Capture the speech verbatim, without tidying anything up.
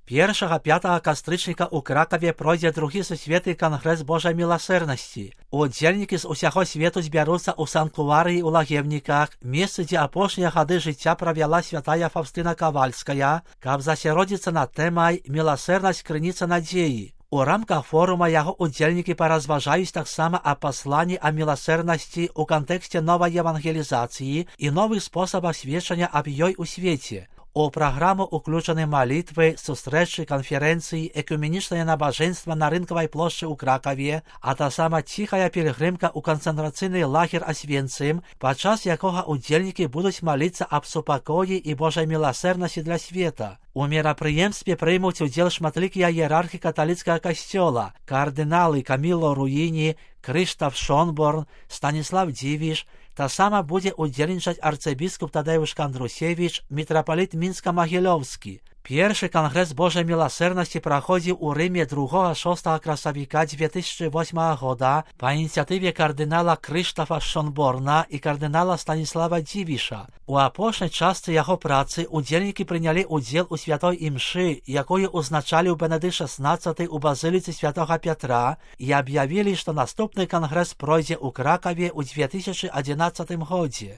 Першага-пятага кастрычніка ў Кракаве пройдзе другі сусветны кангрэс Божай міласэрнасці. Удзельнікі з усяго свету збяруцца ў санктуарыі ў Лагевніках, месцы, дзе апошнія гады жыцця правяла святая Фаўстына Кавальская, каб засяродзіцца над тэмай «Міласэрнасць крыніца надзеі». У рамках форума яго удзельнікі паразважаюць таксама о пасланні о міласэрнасці ў кантэксце новай евангелізацыі і новых спосабах сведчання аб ёй у свеце. У праграму ўключаны малітвы, сустрэчы, канферэнцыі, экуменічнае набажэнства на рынкавай плошчы ў Кракаве, а таксама ціхая пілігрымка ў канцэнтрацыйны лагер Асвенцым, падчас якога удзельнікі будуць маліцца аб супакоі і Божай міласэрнасці для света. У мерапрыемстве прымуць удзел шматлікія іерархі каталіцкага касцёла, кардыналы Каміло Руіні, Крыштаф Шонборн, Станіслав Дзівіш. Таксама будзе удзельнічаць арцыбіскуп Тадэўш Кандрусевіч, мітрапаліт Мінска-Магілёўскі. Першы кангрэс Божай міласэрнасці праходзіў у Рыме другога-шостага красавіка дзве тысячы восьмага года па ініцыятыве кардынала Крыштафа Шонборна і кардынала Станіслава Дзівіша. У апошняй частцы яго працы удзельнікі прынялі ўдзел у святой імшы, якую ўзначаліў Бенедыкт шаснаццаты ў базыліцы святога Пятра, і аб'явілі, што наступны кангрэс пройдзе ў Кракаве ў дзве тысячы адзінаццатым годзе.